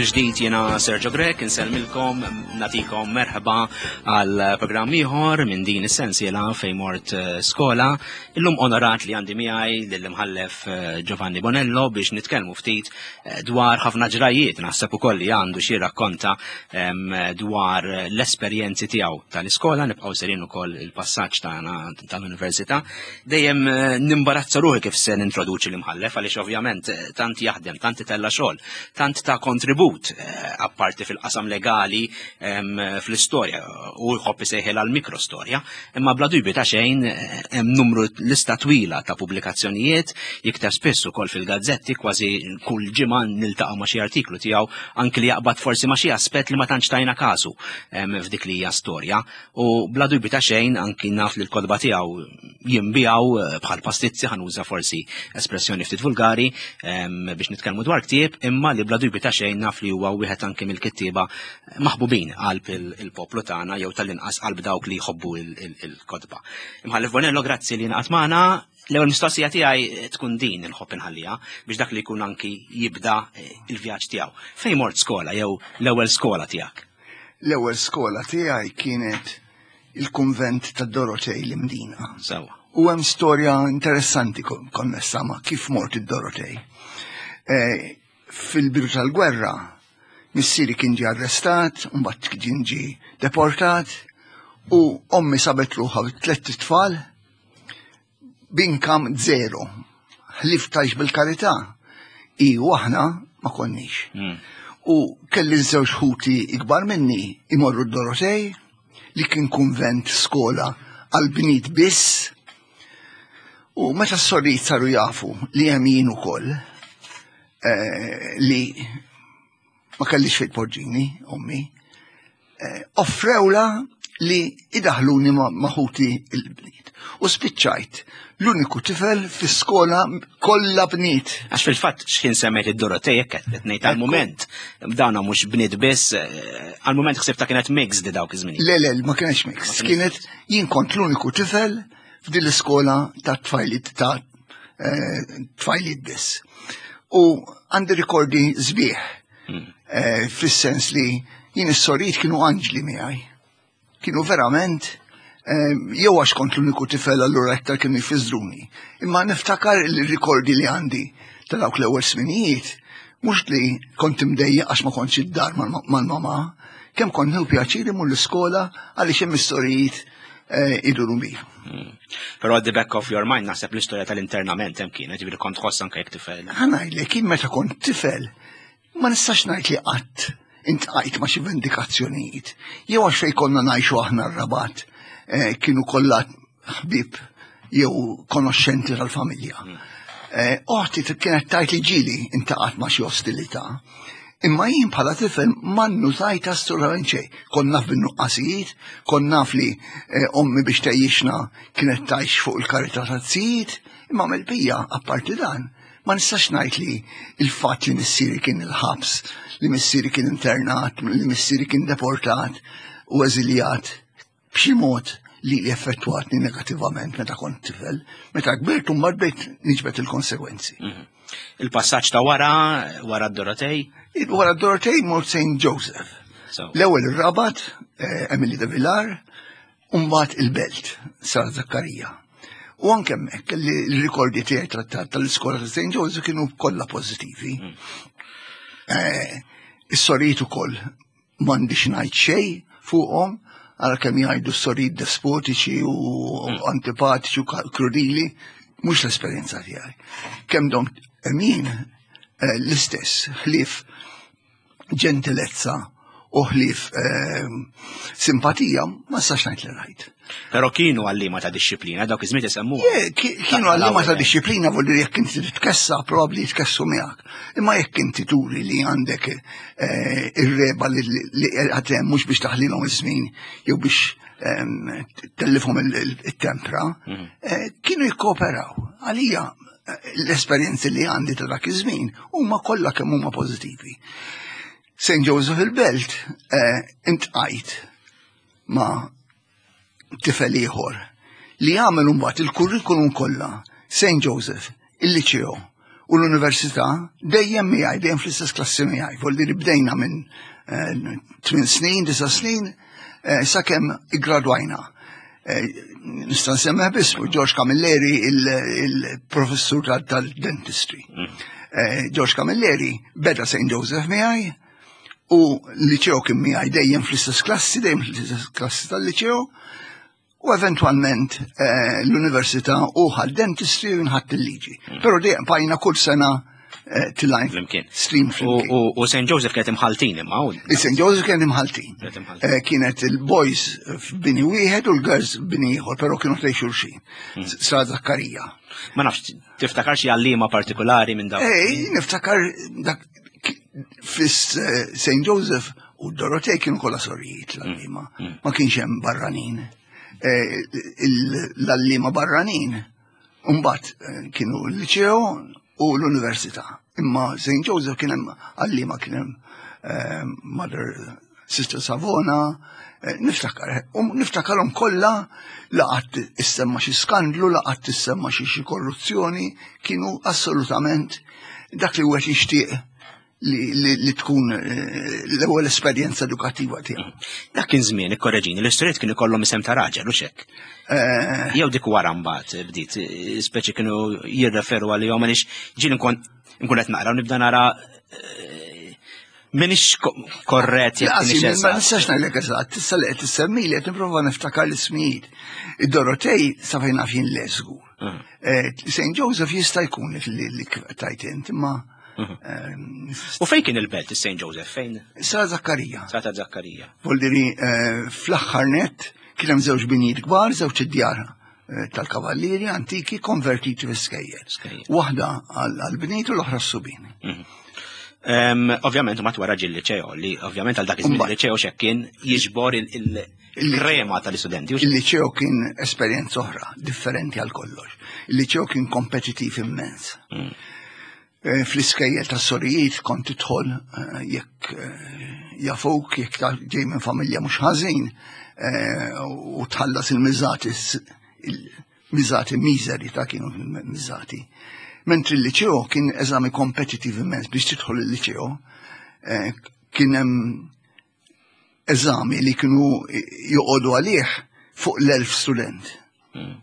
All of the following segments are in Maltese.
Mill-ġdid jiena Sergio Grech insellmilkom natikom merħba għal programm ieħor minn din is-sensiela fejn mort eh, skola. Illum onorat li għandi miegħi lill-imħallef eh, Giovanni Bonello biex nitkellmu ftit eh, dwar ħafna ġrajiet naħseb ukoll li għandu xi rakkonta dwar l-esperjenzi tiegħu tal-iskola nibqgħu serin ukoll il-passaġġ tagħna tal-università. Dejjem eh, nimbarazza ruħi kif se nintroduċi l-imħallef għaliex ovvjament eh, tant jaħdem, tant itella xogħol, tant ta' kontribut eh, apparti fil-qasam legali fl-istorja u jħobb isejħel għal mikrostorja, imma bla dubju ta' xejn hemm numru lista twila ta' pubblikazzjonijiet, jikteb spiss ukoll fil-gazzetti kważi kull ġimgħa niltaqgħu ma' xi artiklu tiegħu anki li jaqbad forsi ma' xi aspett li ma tantx tajna kasu f'dik li hija storja. U bla dubju ta' xejn anki naf li l-kotba tiegħu jinbiegħu eh, bħal pastizzi ħanuża forsi espressjoni ftit vulgari ehm, biex nitkellmu dwar ktieb, imma li bla dubju ta' xejn naf li huwa wieħed anki mill-kittieba maħbubin qalb il-poplu tagħna jew tal-inqas qalb dawk li jħobbu il-kotba. Imħallef Bonello, grazzi li naqat magħna. L-ewwel mistoqsija tiegħi tkun din inħobb inħalliha biex dak li jkun anki jibda eh, il-vjaġġ tiegħu. Fejn mort skola jew l-ewwel skola tiegħek? L-ewwel skola tiegħi kienet il-kunvent ta' Dorotej l-Imdina. Sewa. U hemm storja interessanti konnessa ma' kif mort id-Dorotej. Eh, fil-bidu tal-gwerra, missieri kien ġie arrestat, mbagħad kien ġie deportat, u ommi sabet ruħha b'tlett itfal b'income zero. Ħlief tgħix bil-karità. I u aħna ma konniex. Hmm. U kelli żewġ ħuti ikbar minni imorru d-Dorotej li kien kunvent skola għal bniet biss. U meta s-sorijiet saru jafu li hemm jien ukoll eh, li ma kellix fejn tpoġġini, ommi, eh, offrewla li idaħluni ma' ħuti il-bniet. U spiċċajt l-uniku tifel fi skola kollha bniet. Għax fil-fatt x'ħin semmejt id-Dorotej hekk qed ngħid għall-mument dawna mhux bniet biss, eh, għall-mument ħsibta kienet mixed di dawk iż-żmien. Le le, ma kienx mixed. Kienet jien kont l-uniku tifel f'din l-iskola ta' tfajliet ta' eh, tfajliet biss. U għandi rikordi sbieħ hmm. eh, fis-sens li jien is-sorijiet kienu anġli miegħi. Kienu verament eh, jew għax kont l-uniku tifel allura iktar kienu jfiżruni. Imma niftakar il-rikordi li għandi ta' dawk l-ewwel sminijiet, mhux li kont imdejjaq għax ma kontx id-dar mal-mama, kemm kont nieħu pjaċir imur l-iskola għaliex hemm is-sorijiet eh, iduru bi. Hmm. Però at the back of your mind naħseb l-istorja tal-internament hemm kienet, ġifieri kont tħoss anke jekk tifel. Ħa kien meta kont tifel, ma nistax ngħid li qatt intqajt ma' xi vendikazzjonijiet. Jew għax fejn konna ngħixu aħna r-Rabat eh, kienu kollha ħbieb jew konoxxenti tal-familja. Hmm. Eh, oħti kienet tajt li ġili intaqat ma' xi ostilità. Imma jien bħala tifel ma nnutajt assolutament xejn. Kont naf bin-nuqqasijiet, kont naf li eh, ommi biex tgħixna kienet tgħix fuq il-karità taz-zijiet, imma mill-bija apparti dan ma nistax ngħid li il-fatt li missieri kien il-ħabs, li missieri kien internat, li missieri kien deportat u eżiljat b'xi mod li effettwatni negativament meta kont tifel, meta kbirt u mbagħad bdejt niġbed il-konsegwenzi. Mhm. Il-passaġġ ta' wara, wara d-Dorotej? Wara d-Dorotej mort St. Joseph. L-ewwel ir-Rabat, eh, Emily de Villar, u mbagħad il-Belt, Sara Zakkarija. U anke hemmhekk li l-rikordi tiegħi tal-iskola ta' St. Joseph kienu kollha pożittivi. Mm. Eh, is-sorijiet ukoll m'għandix ngħid xejn fuqhom, għal kemm jgħidu s-sorijiet despotiċi u mm. antipatiċi u krudili, mhux l-esperjenza tiegħi. Kemm dom emin eh, l-istess ħlief ġentilezza u ħlief eh, simpatija ma sax ngħid li rajt. Però kienu għallima ta' disċiplina, dawk iż-żmien isemmu. Kienu għallima ta' disċiplina vuol jekk inti titkessa, probabbli jitkessu miegħek. Imma jekk inti turi li għandek eh, ir-reba li għatem mhux biex taħlilhom iż-żmien jew biex ehm, tellifhom il-tempra, mhm. eh, kienu jikkooperaw. Għalija eh, l-esperjenzi li għandi ta' dak iż-żmien huma kollha kemm huma pożittivi. St. Joseph il-Belt intqajt ma' tifel ieħor li għamel mbagħad il-kurrikulum kollha St. Joseph, il-Liċeo. u l-università dejjem miegħi, dejjem fl-istess klassi miegħi. Volli li bdejna minn 8 eh, snin, 9 snin, eh, sakemm iggradwajna. Eh, nista' nsemmeħ biss George Camilleri, il-professur tal-dentistry. George Camilleri beda St. Joseph miegħi u l-liceo kien miegħi dejjem fl-istess klassi, dejjem fl-istess klassi tal-liceo. U eventwalment eh, l-università u ħad dentistry u nħadd il-liġi. Però dejjem bajna kull sena eh, tilajn Flimkien. stream flimkien. U St. Joseph kienet imħaltin imma. St. Joseph kienet imħaltin. Eh, kienet il-boys f'bini wieħed u l-girls f'bini ieħor, però kienu tgħix xulxin. Sra Zakkarija. Ma nafx, tiftakar xi għalliema partikolari minn dawk? Ej, niftakar dak fis St. Joseph u Dorotej kienu kollha sorijiet l-għalliema. Ma kienx hemm barranin. Eh, l-għalliema barranin mbagħad eh, kienu l-liceo u l-università. Imma St. Joseph kien hemm għalliema kien hemm eh, Mother Sister Savona, niftakar, u niftakarhom kollha laqat issemma xi skandlu, laqat issemma xi korruzzjoni, kienu assolutament dak li wieħed jixtieq li tkun eh, l-ewwel esperjenza edukattiva tiegħu. Dak kien żmien ikkoreġini, l-istorijiet kienu kollhom isem ta' raġel u xek. Eh, Jew dik wara mbagħad bdiet, eh, speċi kienu jirreferu għalihom għaliex ġieli nkun nkun qed naqra u nibda nara Minix korret jekk minix Ma nistax ngħidlek eżatt, issa li qed issemmi li qed nipprova niftakar l-ismijiet. Id-Dorotej sa fejn naf jien le żgur. St. Joseph jista' jkun li tajt int, imma Mhm. U fejn kien il-belt St. Joseph? Fejn? Sara Zakkarija. Sara Zakkarija. Voldiri eh, fl-aħħar net kien hemm żewġ binijiet kbar, żewġ id-djar eh, tal-kavallieri antiki konvertiti fi skejjel. Waħda għall-bniet u l-oħra s-subin. Mhm. Ovvjament ma wara ġil liċeo li ovvjament għal dak iż-żmien liċeo xek kien jiġbor il-krema tal-istudenti. Il-liċeo kien esperjenza oħra, differenti għal kollox. Il-liċeo kien kompetittiv immens. Eh, fl-iskejjel ta' sorijiet kont tidħol eh, jekk eh, jafuk, jekk ta' ġej minn familja mhux ħażin u tħallas il-miżati il-miżati miżeri ta' kienu miżati. Mentri l-liċeo kien eżami kompetitiv immens biex tidħol il-liċeo kien hemm eżami li kienu joqogħdu għalih fuq l-1000 student.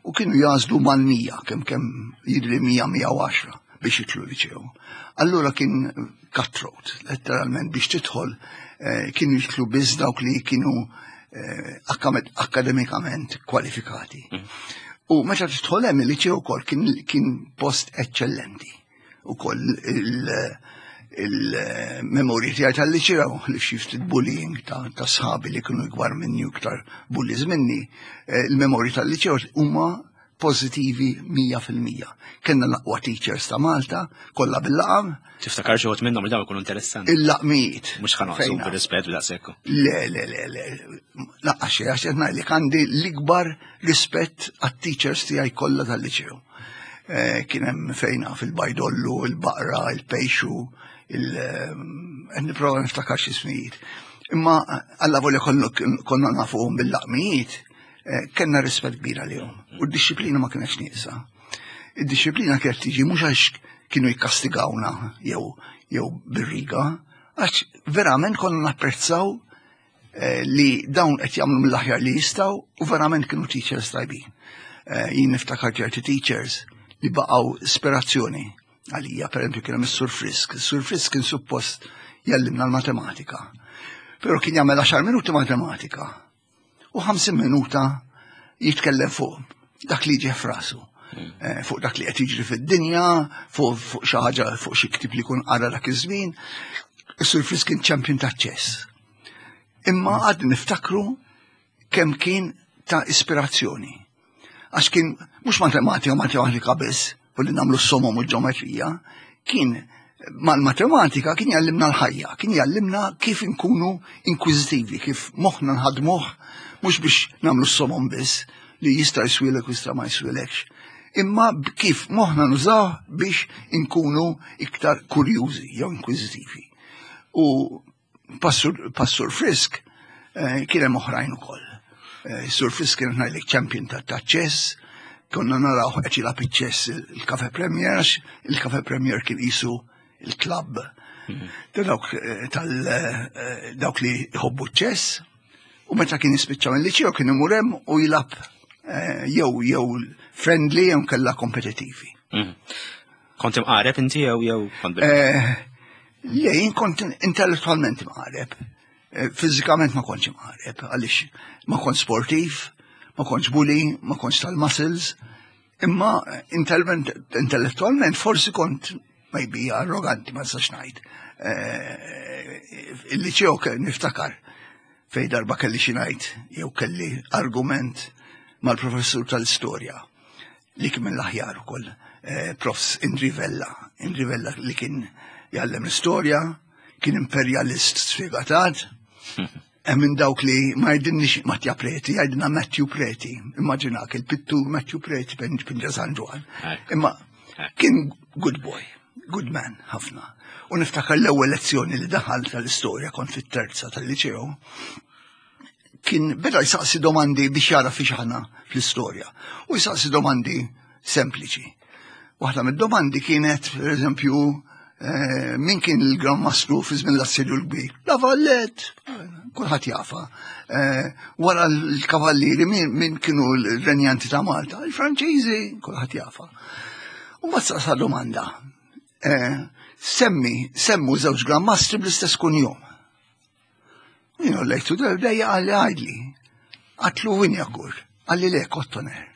U kienu jażlu mal-100, kemm kemm jidri 100-110 biex jitlu liċew. Allura kien cutthroat, letteralment biex tidħol eh, kienu jitlu biss dawk li kienu eh, akademikament kwalifikati. U meta tidħol hemm il-liċew ukoll kien, kien post eċċellenti. Ukoll il-memorji tiegħi tal-liċew li xi ftit bullying ta' sħabi li kienu ikbar minni u iktar bullies minni, eh, il-memorji tal-liċew huma pożittivi 100%. Kenna l-aqwa teachers ta' Malta, kollha bil-laqam. Tiftakar xi minnhom li dawn ikunu interessanti. Il-laqmijiet. Mhux ħanoqsu bir-rispett b'daqshekk. Le, le, le, le. Laqqa xejn għax qed ngħidlek għandi l-ikbar rispett għat-teachers tiegħi kollha tal-liċew. Eh, kien hemm fejna fil-bajdollu, il-baqra, il-pejxu, il eh, nipprova niftakar xi ismijiet. Imma alla volja konna nafuhom bil-laqmijiet, eh, kellna rispett kbir għalihom. U d-disciplina ma kienx nieqsa. Id-disciplina kienet tiġi mhux għax kienu jikkastigawna jew jew bir-riga, għax verament konna napprezzaw Eh, li dawn qed jagħmlu mill-aħjar li jistgħu u verament kienu teachers tajbin. Eh, jien niftakar ċerti teachers li baqgħu ispirazzjoni għalija, per esempio kien hemm is-Sur Frisk. Is-Sur Frisk kien suppost jallimna l-matematika. Però kien jagħmel 10 minuti matematika u 50 minuta jitkellem fuq dak li ġie f'rasu. Eh, fuq dak li qed jiġri fid-dinja, fuq xi ħaġa fuq xi ktieb li jkun qara dak iż-żmien. Is-Sur Frisk kien champion ta' ċess. Imma għad niftakru kemm kien ta' ispirazzjoni. Għax kien mhux matematika, matematika biss, u li nagħmlu s-somom u l-ġeometrija, kien mal-matematika kien jgħallimna l-ħajja, kien jgħallimna kif inkunu inkwizitivi, kif moħħna nħadmuh mhux biex nagħmlu s-somom biss li jista' jiswilek u jista' ma jiswilekx, imma kif moħħna nużaw biex inkunu iktar kurjużi jew inkwizitivi. U Passur, Passur Frisk eh, kien hemm oħrajn ukoll. Eh, Sur Frisk kien ngħidlek champion ta' ċess, Konna naraw qed jilgħab iċ-ċess il-Cafe Premier, għax il-Cafe Premier kien qisu il-klabb ta' dawk eh, tal eh, dawk li jħobbu ċess u meta kien jispiċċa mill-liċeo kien imur hemm u jilgħab eh, jew jew friendly jew kellha kompetitivi. Mhm. Kont imqareb inti jew jew kont Le, jien kont intellettualment imqareb. Eh, fiżikament ma kontx imqareb, għaliex ma kontx sportiv, ma kontx bully, ma kontx tal-muscles, imma intellettualment forsi kont maybe arroganti, ma nistax ngħid. Eh, il-liċeo niftakar fej darba kelli xi ngħid jew kelli argument mal-professur tal-istorja li kien mill-aħjar ukoll, eh, Profs Indri Vella, Indri Vella li kien jgħallem l-istorja, kien imperjalist sfegatat, hemm minn dawk li ma jgħidilniex Mattia Preti, jgħidilna Matthew Preti, immaġinak il-pittur Matthew Preti pinġa San Ġwann. Imma kien good boy, good man ħafna. U niftakar l-ewwel lezzjoni li daħal tal-istorja kont fit-terza tal-liċeo, kien beda jsaqsi domandi biex jara fiex aħna fl-istorja. U jsaqsi domandi sempliċi. Waħda mid-domandi kienet, per eżempju, eh, min kien il-Gran Mastru fi żmien l-assedju l-kbir? La Vallet, kulħadd jafa. Eh, wara l-kavallieri min kienu l-renjanti ta' Malta? Il-Franċiżi, kulħadd jafa. U ma saqsa domanda. Eh, semmi, semmu żewġ Gran Mastri bl-istess kunjom. Jien lejtu dejja għalli għajdli. Għatlu Winjakur, għalli le Kottoner.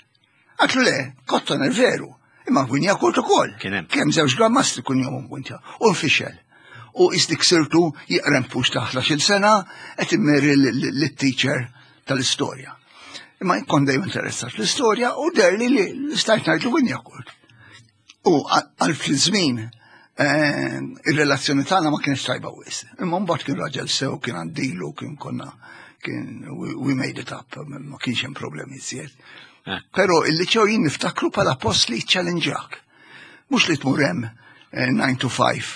Għatlu le, Kottoner veru, imma Winjakur ukoll. Kemm żewġ grammastri kun jom punta. U nfixel. U isdik sirtu jiqrem pux ta' 11 sena qed immeri l-teacher tal-istorja. Imma jkun dejjem interessat fl-istorja u derli li stajt ngħidlu Winjakur. U għal fl-żmien eh, ir-relazzjoni tagħna ma kienx tajba wis. Imma mbagħad kien raġel sew, kien għandilu, kien konna kien we made it up, ma kienx hemm problemi iżjed. Eh. Però il-liċew jien niftakru bħala post li challenge-jak. Mhux li tmur hemm 9 eh, to 5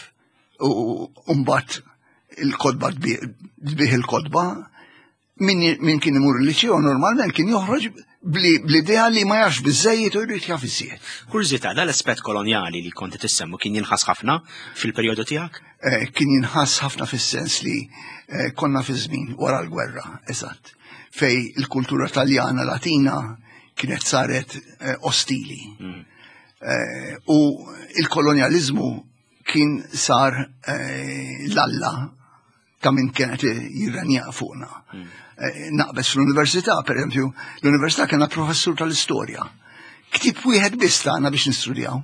u mbagħad il-kodba tbih il-kodba, min kien imur il-liċeo normalment kien joħroġ bl-idea li ma jafx biżejjed u jrid jaf iżjed. Kurżità, dal-aspett kolonjali li konti tissemmu kien jinħass ħafna fil-perjodu tiegħek? Eh, kien jinħass ħafna fis-sens li eh, konna fi żmien wara l-gwerra, eżatt, fej il-kultura taljana latina kienet saret eh, ostili. Mm. U il-kolonjalizmu kien sar l-alla ta' min kienet jirrenja fuqna. Hmm. Eh, naqbes fl-università, per eżempju, l-università kena professur tal-istorja. Ktib wieħed biss tagħna biex nistudjaw.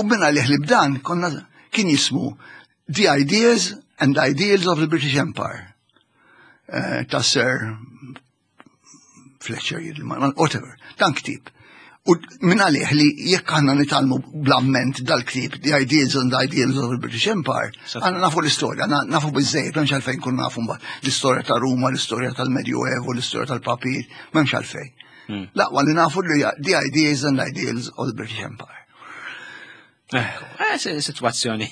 U minna li ħlib dan konna kien jismu The Ideas and Ideals of the British Empire. Eh, ta' Sir Fletcher, whatever, dan ktib. U minn għalih li jekk għanna nitalmu bl-amment dal-ktib, The Ideals and Ideals of the British Empire, għanna nafu l-istoria, nafu bizzejt, memx għalfejn kun nafu mbagħad l-istorja ta' Ruma, l-istorja tal-Medjuevu, l-istorja tal-Papir, memx għalfejn. Hmm. Laqwa li nafu li The Ideas and Ideals of the British Empire. Eh, situazzjoni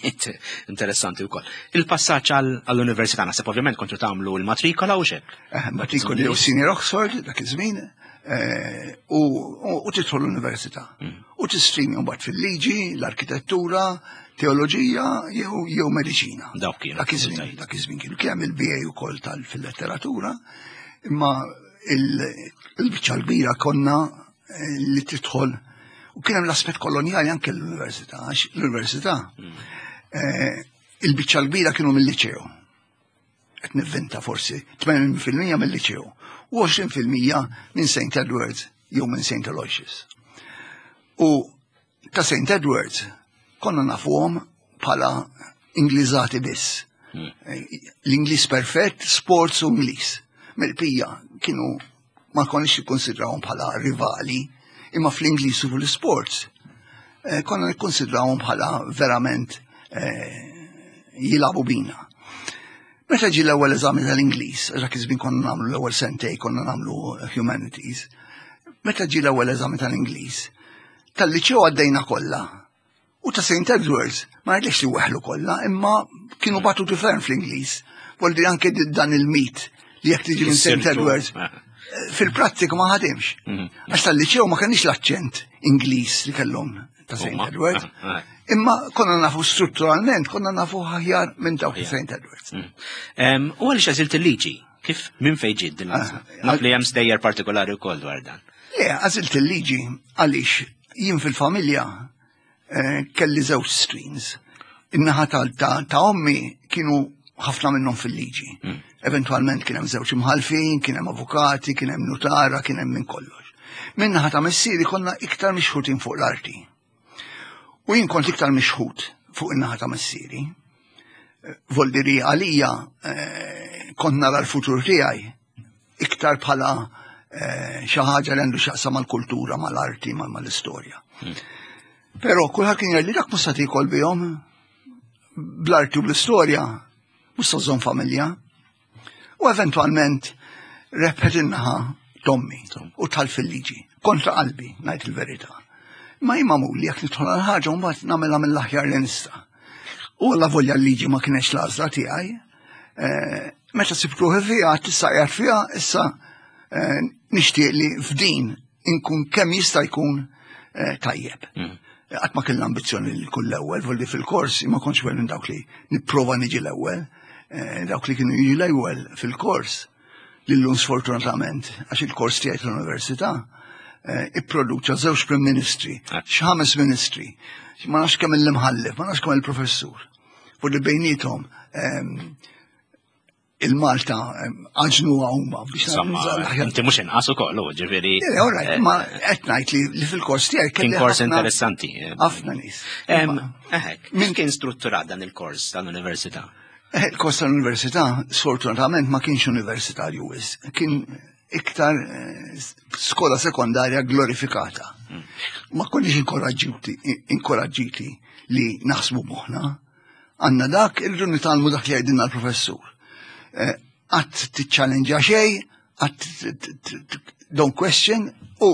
interessanti wkoll. Il-passaġġ għall-università naħseb ovvjament kontu tagħmlu l-matrikola u xek. Eh, matrikola jew senior Oxford dak iż-żmien eh, u tidħol l-università. Mm. U tistrimi mbagħad fil-liġi, l-arkitettura, teoloġija jew jew mediċina. Dawk kienu. Dak iż-żmien, dak iż-żmien kienu kemm il-BA ukoll tal fil-letteratura, imma il-biċċa l-kbira konna li tidħol u kien hemm l-aspett kolonjali anke l-università, għax l-università hmm. eh, il-biċċa l-kbira kienu mill-liċew. Qed nivvinta forsi 80% mill-liċew u 20% minn St. Edwards jew minn St. Aloysius. U ta' St. Edwards konna nafuhom bħala Ingliżati biss. Hmm. L-Ingliż perfett, sports u Ingliż. Mill-pija kienu ma konniex nikkonsidrawhom bħala rivali, imma fl-Ingliż u fl-sports eh, konna nikkonsidrawhom bħala verament eh, jilabu bina. Meta ġi l-ewwel eżami tal-Ingliż, dak iż-żmien konna nagħmlu l-ewwel sentej konna nagħmlu humanities. Meta ġi l-ewwel eżami tal-Ingliż, tal-liċew għaddejna kollha. U ta' St. Edwards, ma ngħidlekx li weħlu kollha, imma kienu batu ferm fl-Ingliż. Voldi anke dan il-mit li jekk tiġi minn St. Edwards. Fil-prattika ma ħadimx. Mhm. Għax tal-liċew ma kenniex l-aċċent Ingliż li kellhom ta' St. Edwards. Ah, ah. Imma konna nafu strutturalment, konna nafu aħjar minn dawk ta' St. Edwards. Mhm. U għaliex għażilt il-liġi? Kif minn fejn ġiet din l-għażla? Ah, Naf li hemm stejjer partikolari wkoll dwar dan. Le, għażilt il-liġi għaliex jien fil-familja eh, kelli żewġ streams. In-naħa ta' ommi kienu ħafna minnhom fil-liġi. Hmm. Eventualment kien hemm żewġ imħalfin, kien hemm avukati, kien hemm nutara, kien hemm minn kollox. Min-naħa ta' missieri konna iktar mixħutin fuq l-arti. U jien kont iktar mixħut fuq in-naħa ta' missieri. Voldiri għalija eh, kont nara l-futur tiegħi iktar bħala eh, xi ħaġa li għandu x'jaqsam mal-kultura, mal-arti, mal-istorja. Hmm. Però kulħadd kien jgħidli dak mhux se tiekol bihom bl-arti u bl-istorja, mhux se żżomm familja. U eventwalment rebħet in-naħa tommi u tħall fil-liġi, kontra qalbi, ngħid il-verità. Ma jien magħmul li jekk nidħol għal ħaġa mbagħad nagħmilha mill-aħjar li nista'. U alla volja l-liġi ma kienx l-għażla tiegħi, eh, meta sibt ruħi fiha, tista' qiegħed fiha, issa eh, nixtieq li f'din inkun kemm jista' jkun eh, tajjeb. Mm. Qatt ma kellna ambizzjoni li kull l-ewwel, volli fil-kors ma kontx minn dawk li nipprova niġi l-ewwel, dawk li kienu jiġi l-ewwel fil-kors li llum sfortunatament għax il-kors tiegħi tal-università ipproduċa żewġ prim ministri, ah. x'ħames ministri, ma nafx kemm il-imħallef, ma nafx kemm il-professur. U li bejnietom ehm, il-Malta ehm, għaġnu huma biex Inti mhux inqas ukoll, ġifieri. Eh, ma qed ngħid li fil-kors tiegħi kien kors interessanti. Eh. Ħafna nies. Ehm, eħek, min kien strutturat dan il-kors tal-università? Eh, il-kors tal-università, sfortunatament, ma kienx universitarju wis, kien iktar skola sekondarja glorifikata. Hmm. Ma konniex inkoraġġiti li naħsbu moħna. Għanna dak, irridu nitgħallmu dak li jgħidilna l-professur. Eh, qatt tiċċallenġa xejn, qatt don't question u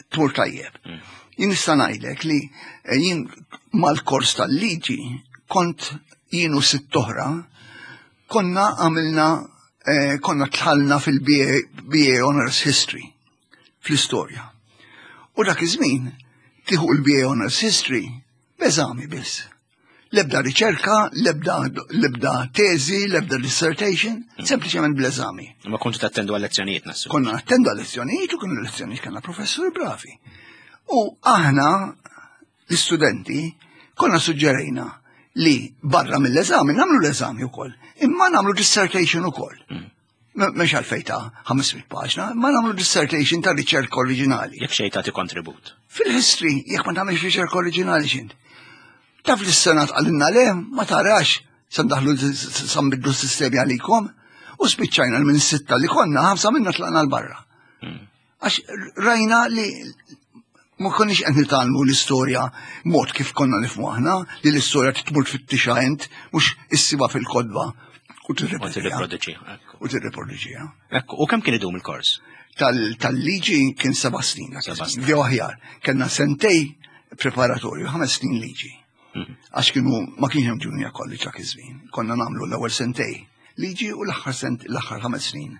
tmur tajjeb. Hmm. Jien nista' ngħidlek li eh, jien mal-kors tal-liġi kont jien u sitt oħra konna għamilna eh, konna tħallna fil-BA Honors History fl-istorja. U dak iż-żmien tieħu l-BA Honors History b'eżami biss. Lebda riċerka, lebda, lebda teżi, lebda dissertation, mm. sempliċement bl-eżami. Ma kontu tattendu għal-lezzjonijiet nassu. Konna attendu għal-lezzjonijiet u kienu lezzjonijiet kellna professuri bravi. U aħna l-istudenti konna suġġerejna li barra mill-eżami nagħmlu l-eżami wkoll, imma nagħmlu dissertation ukoll. Mm. Mhux għalfejn ta' 500 paġna, ma nagħmlu dissertation ta' riċerka oriġinali. Jekk xejn tagħti kontribut. Fil-history, jekk ma tagħmilx riċerka oriġinali x'int. Taf li s-senat għalinna le, ma tarax, sandaħlu sambidlu s-sistemi għalikom, u spiċċajna minn sitta li konna, ħamsa minna tlaqna l-barra. Hmm. Għax rajna li ma konniex qed nitgħallmu l-istorja mod kif konna nifhmu aħna, li l-istorja tmur tfittixha int mhux issiba fil-kodba u tirriproduċi. U tirriproduċiha. Ekku, u kemm kien idum il-kors? Tal-liġi kien seba' snin. Jew aħjar, kellna sentej preparatorju, ħames snin liġi. Mhm. Għax kienu ma kienx hemm junior college dak iż-żmien. Konna nagħmlu l-ewwel sentej liġi u l-aħħar sent l-aħħar ħames snin.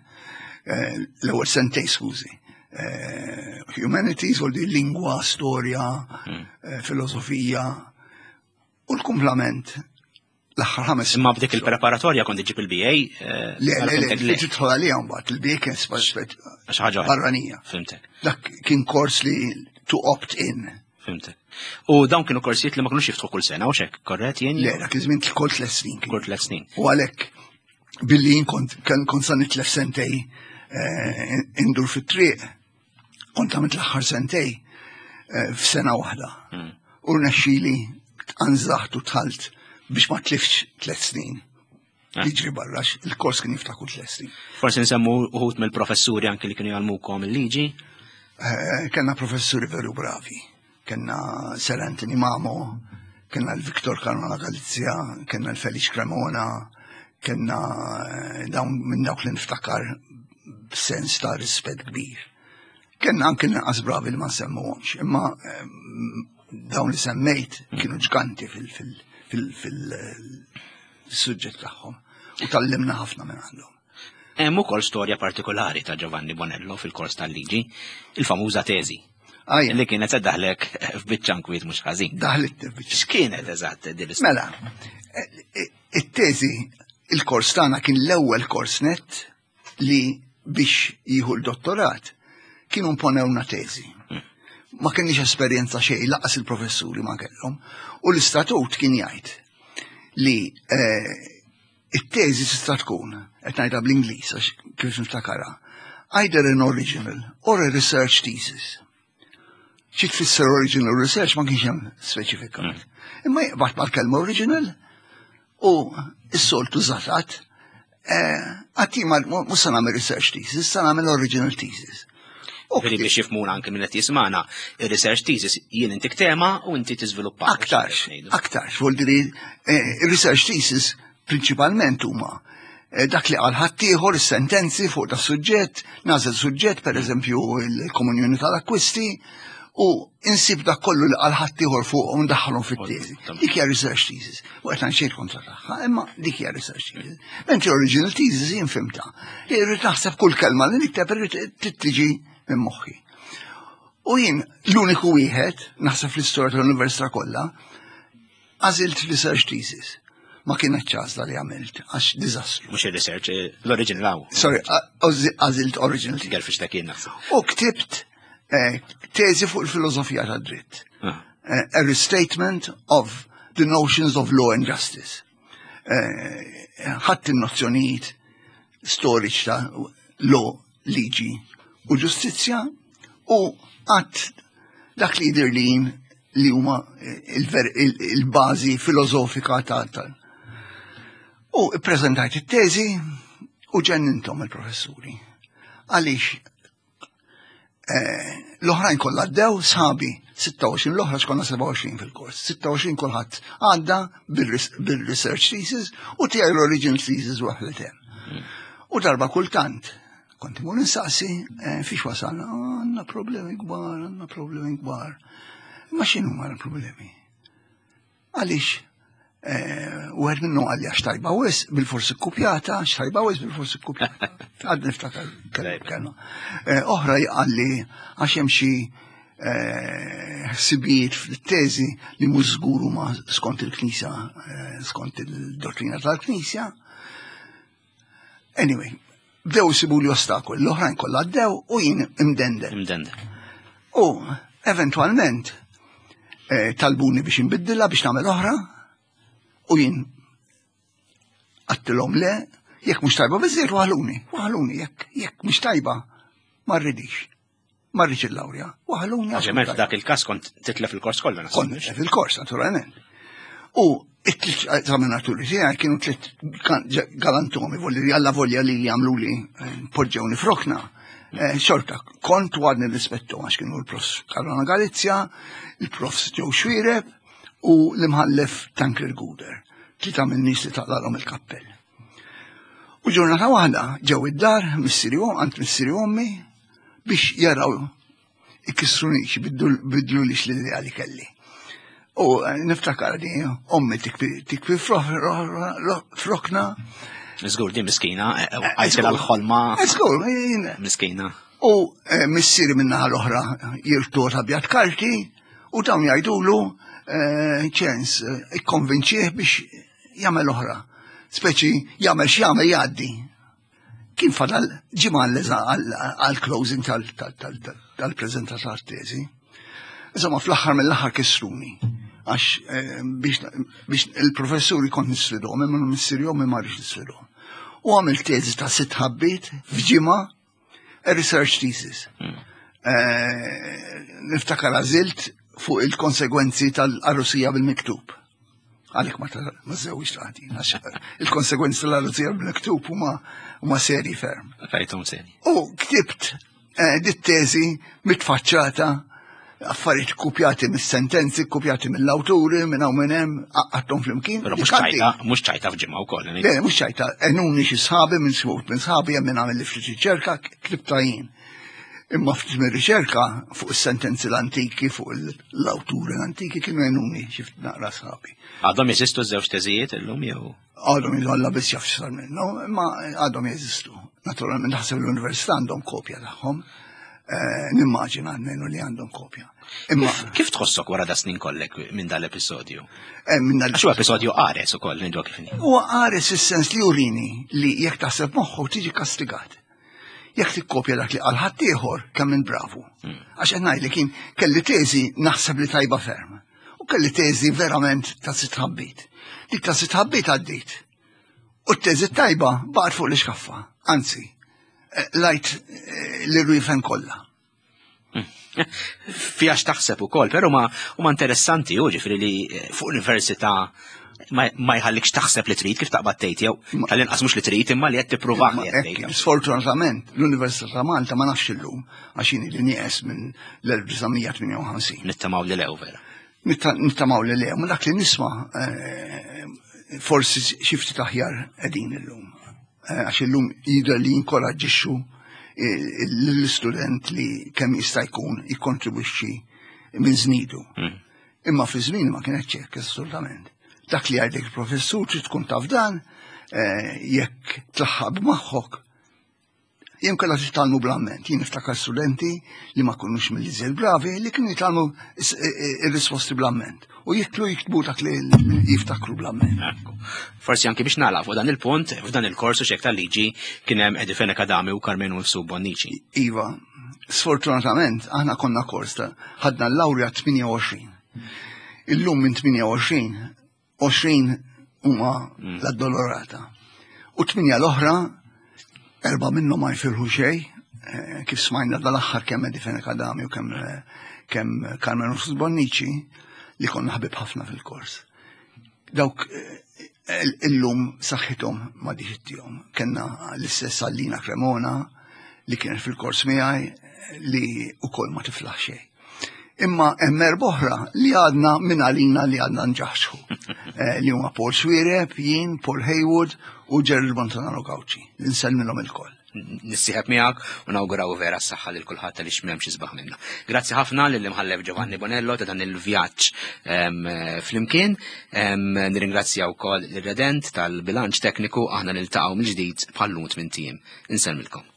Eh, l-ewwel sentej skużi. Eh, humanities, u di lingwa, storja, mhm. eh, filosofija u l-kumplament l-aħħar ħames. Imma b'dik il-preparatorja kont iġib il-BA? Le, le, le, li tidħol għalija mbagħad, il-BA kien ħaġa barranija. Fimtek. Dak kien kors li to opt in. Fimtek. U dawn kienu korsijiet li ma kinux jiftħu kull sena, u xek, korret jien? Le, dak iż-żmien kull tliet snin. Kull tliet snin. U għalhekk billi jien kont kont sa nitlef sentej eh, indur fit-triq, kont għamilt l-aħħar sentej eh, f'sena waħda. Hmm. U rnexxili tqanżaħt u tħalt biex ma tlifx tliet snin. Eh. Jiġri barra, il-kors kien jiftaħ kull tliet snin. Forsi nsemmu uħut mill-professuri anki li kienu jgħallmukom il-liġi? Eh, kellna professuri veru bravi. Kellna Sir Anthony Mamo, kellna l-Viktor Carmona Galizia, kellna l-Felice Cremona, kellna eh, dawn minn dawk li niftakar b'sens ta' rispett kbir. Kellna anke naqas bravi li ma nsemmuhomx, imma dawn li semmejt kienu ġganti fil-suġġett tagħhom u tallimna ħafna minn għandhom. Hemm ukoll storja partikolari ta' Giovanni Bonello fil-kors tal-liġi, il-famuża teżi. Ajja. Li kienet se daħlek f'biċċa nkwiet mhux ħażin. Daħlet f'biċċa. X'kienet eżatt din l-istorja? Mela, e, e, it-teżi il-kors tagħna kien l-ewwel kors net li biex jieħu l-dottorat kienu imponewna teżi. Ma kienx esperjenza xejn laqas il-professuri ma kellhom. U l-istatut kien jgħid li eh, it-teżi tista' tkun, qed ngħidha bl-Ingliż għax kif niftakarha, either an original or a research thesis. Xi tfisser original research ma kienx hemm speċifikat. Imma jaqbad mal-kelma original u s-soltu żatat eh, għatti ma mhux se nagħmel research thesis, se nagħmel original thesis. U Veri biex jifmuna anke minn qed jismana, ir-research thesis jien intik tema u inti tiżviluppa. Aktarx, aktarx, vuol dire, eh, research thesis prinċipalment huma eh, dak li qal ħaddieħor is-sentenzi fuq da suġġett, nażel suġġett per eżempju il-komunjoni tal-akkwisti u insib dak kollu li qal ħaddieħor fuq u ndaħħalhom fit-teżi. Dik hija research thesis. U qed xejn kontra tagħha, imma dik hija research thesis. Mentri original thesis jien fimta. Li rrid naħseb kull kelma li nikteb irrid tiġi minn moħħi. U jien l-uniku wieħed, naħseb fl-istorja tal-università kollha, għażilt research thesis. Ma kienet ċażla li għamilt, għax diżastru. Mhux ir-research, eh, l-original hawn. Sorry, għażilt original thesis. Gerfix ta' kien naħseb. U ktibt eh, teżi fuq il-filosofija tad-dritt. Ah. Eh, a restatement of the notions of law and justice. Eh, Ħadd in-nozzjonijiet storiċi ta' law, liġi u ġustizzja u għadd dak li jidir li jien li huma il-bażi filosofika ta' tal. U ppreżentajt it-teżi u ġennintom il-professuri. Għaliex eh, l-oħrajn kollha għaddew sħabi 26 l-oħra xkonna 27 fil-kors. 26 kulħadd għadda bil-research thesis u tiegħi l-original thesis waħlet hemm. U darba kultant kont imur insaqsi eh, fiex wasalna, "Oh, għandna problemi kbar, għandna problemi kbar. Ma x'inhu ma l-problemi? Għaliex eh, u għed minnu għalli għax tajba wis, bil-forsi kopjata, għax tajba wis bil-forsi kopjata. Għad niftakar kelma. Eh, Oħra għalli għax hemm xi eh, ħsibijiet fil-teżi li mhux żgur huma skont il-Knisja, eh, skont il-dottrina tal-Knisja. Anyway, bdew isibu li ostakoli, l-oħrajn kollha għaddew u jien imdendel. Imdendel. U eventualment eh, talbuni biex nbiddilha biex nagħmel oħra u jien għattilhom le, jekk mhux tajba biżżejjed waħluni, waħluni jekk jekk mhux tajba ma rridix. Ma rridx il-lawrja, waħluni għax mhux Ovvjament tajba. f'dak il-każ kont titlef il-kors kollu naħseb. Kont nitlef il-kors, naturalment. U it-tliet eżaminaturi tiegħi kienu tliet galantomi, volli li alla volja li jagħmlu li eh, poġġewni frokna. Eh, Xorta, kont u għadni rispettu għax kienu l-prof Karona Galizja, il-prof Joe Xuereb u l-imħallef Tancred Guder. Tlieta minn nies li taqlalhom il-kappell. U ġurnata waħda ġew id-dar missieri u għand missieri u ommi biex jaraw ikissrunix, bidlu li l-idea li kelli. U eh, niftakar li ommi tikbi tikbi frokna. Żgur din miskina, eh, eh, għajtilha l-ħolma Żgur, miskina. U eh, missieri minnaħa l-oħra jirtu abjad karti u dawn jgħidulu eh, ċens eh, ikkonvinċih biex jagħmel oħra. Speċi jagħmel x'jagħmel jgħaddi. Kien fadal ġimgħa għal-closing tal-preżentata tat-teżi. Insomma, fl-aħħar mill-aħħar kissruni. Għax eh, biex il-professuri kont nisfidhom, imma missieri ommi ma rridx nisfidhom. U għamil teżi ta' sitt ħabbiet f'ġimgħa a research thesis. Eh, Niftakar għażilt fuq il-konsegwenzi tal-arrusija bil-miktub. Għalek ma ma żewġ tagħti, għax il-konsegwenzi tal-arrusija bil-miktub huma huma seri ferm. Rajthom seri. U ktibt eh, dit teżi mitfaċċata affarijiet kopjati mis-sentenzi, kopjati mill-awturi, minn hawn minn hemm, għaqqadthom flimkien. Però mhux Dik għaddi. ċajta, mhux ċajta f'ġimgħa wkoll. Le, mhux ċajta, enuni xi sħabi minn smut, minn sħabi hemm minn għamil li ftit riċerka, ktibta jien. Imma ftit minn riċerka fuq is-sentenzi l-antiki, fuq l-awturi l-antiki kienu enuni xi ftit naqra sħabi. Għadhom jeżistu żewġ teżijiet illum jew Għadhom jgħalla biss jaf x'sar minnhom, imma għadhom jeżistu. Naturalment naħseb l-università għandhom kopja tagħhom. Eh, nimmaġina għalmenu li għandhom kopja. Imma kif tħossok wara da snin kollek minn dal-episodju? Eh, minn dal Għax episodju qares ukoll ngħidu kif inhi. Huwa qares is-sens li jurini li jekk taħseb moħħu tiġi kastigat. Jekk tikkopja dak li qal ħaddieħor kemm minn bravu. Għax qed ngħidlek kien kelli teżi naħseb li tajba ferm. U kelli teżi verament ta' sitt ħabbit. Dik ta' sitt ħabbit għaddit. U t-teżi tajba baqgħet fuq l-iskaffa. Anzi, eh, lajt eh, l-rwifen kollha. Fija x'taħseb ukoll, però ma huma interessanti u ġifieri li eh, fuq università ma jħallikx taħseb li trid kif taqbad tgħid jew tal-inqas mhux li trid imma li qed tippruvah li qed tgħid. Sfortunatament l-Università ta' Malta ma nafx illum għax jien li nieqes minn l-1958. Nittamaw li lew vera. Nittamaw li lew, ma dak li nisma' eh, forsi xi ftit aħjar qegħdin illum. Eh, għax illum jidher li jinkoraġġixxu eh, l-istudent li kemm jista' jkun jikkontribwixxi minn żnidu. Imma fi żmien ma kienet ċekk assolutament. Dak li għajdek il-professur trid tkun taf dan, eh, jekk tlaħħaq b'maħħok Jien kellha titgħallmu bl-amment. Jien niftakar studenti li ma kunux mill-iżjed bravi li kienu jitgħallmu ir-risposti bl-amment. U jitlu jiktbu dak li jiftakru bl-amment. Forsi anki biex nagħlaq fuq dan il-punt, f'dan il-kors u xek tal-liġi kien hemm Eddie Fenech Adami u Carmenu Mifsud Bonnici. Iva, sfortunatament aħna konna kors ta' ħadna l-lawrja 28. Illum minn 28 20 huma mm. l-addolorata. U tminja l-oħra, erba minnhom ma jfirħu xejn, eh, kif smajna dal-aħħar kemm Eddie Fenech Adami u kemm eh, kemm Carmen Rufus Bonnici li konna ħbib ħafna fil-kors. Dawk eh, illum saħħithom ma diħittihom. Kenna l-istess Allina Cremona li kienet fil-kors miegħi li ukoll ma tiflaħ xejn. Imma hemm oħra li għadna minn għalina li għadna nġaħxu. Eh, li huma Paul Swireb, jien, Paul Haywood u Gerald Montanaro Gauci. Nsellmilhom ilkoll. Nissieħeb miegħek u nawguraw vera s-saħħa lil kulħadd għaliex m'hemmx isbaħ minna. Grazzi ħafna lil imħallef Giovanni Bonello ta' dan il-vjaġġ flimkien. Nirringrazzja wkoll lir-Redent tal-bilanċ tekniku aħna niltaqgħu mill-ġdid bħal-lum tmien tim. Insellmilkom.